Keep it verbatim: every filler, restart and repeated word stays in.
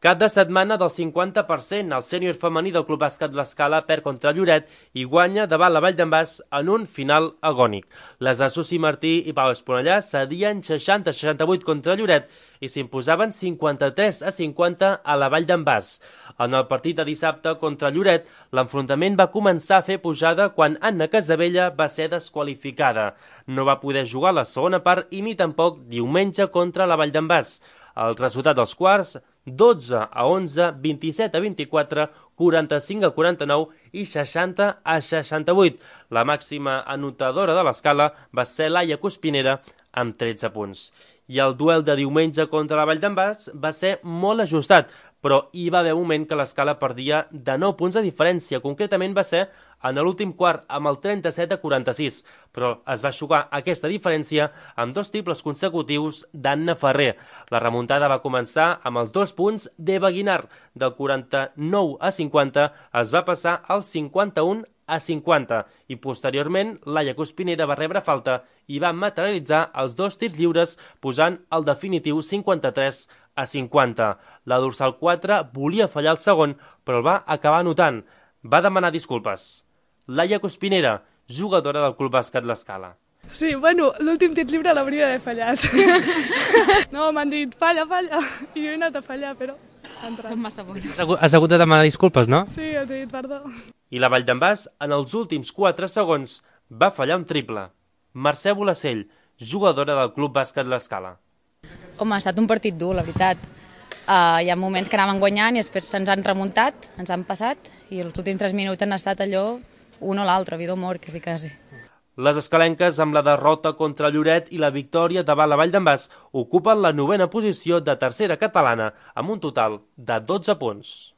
Cap de setmana del cinquanta per cent, el sènior femení del Club Bàsquet L'Escala perd contra Lloret i guanya davant la Vall d'en Bas en un final agònic. Les de Susi Martí i Pau Esponellà cedien seixanta a seixanta-vuit contra Lloret i s'imposaven cinquanta-tres a cinquanta a la Vall d'en Bas. En el partit de dissabte contra Lloret, l'enfrontament va començar a fer pujada quan Anna Casabella va ser desqualificada. No va poder jugar la segona part i ni tampoc diumenge contra la Vall d'en Bas. El resultat dels quarts, dotze a onze, vint-i-set a vint-i-quatre, quaranta-cinc a quaranta-nou i seixanta a seixanta-vuit. La màxima anotadora de l'escala va ser Laia Cuspinera amb tretze punts. I el duel de diumenge contra la Vall d'en Bas va ser molt ajustat, però hi va haver un moment que l'escala perdia de nou punts de diferència. Concretament va ser en l'últim quart amb el trenta-set a quaranta-sis, però es va jugar aquesta diferència amb dos triples consecutius d'Anna Ferrer. La remuntada va començar amb els dos punts d'Eva Guinar. Del quaranta-nou a cinquanta es va passar al cinquanta-un a cinquanta i posteriorment Laia Cuspinera va rebre falta i va materialitzar els dos tirs lliures posant el definitiu cinquanta-tres a cinquanta. La dorsal quatre volia fallar el segon, però el va acabar anotant. Va demanar disculpes. Laia Cuspinera, jugadora del Club Bàsquet L'Escala. Sí, bueno, l'últim tir lliure l'hauria d'haver fallat. No, m'han dit, falla, falla, i jo he anat a fallar, però ha entrat. Som massa bons. Has hagut de demanar disculpes, no? Sí, els he dit perdó. I la Vall d'en Bas, en els últims quatre segons, va fallar un triple. Mercè Bolacell, jugadora del Club Bàsquet L'Escala. Home, ha estat un partit dur, la veritat. Uh, hi ha moments que anàvem guanyant i després se'ns han remuntat, ens han passat, i els últims tres minuts han estat allò, un o l'altre, vida o mort, quasi, quasi. Les escalenques, amb la derrota contra Lloret i la victòria davant la Vall d'en Bas, ocupen la novena posició de tercera catalana, amb un total de dotze punts.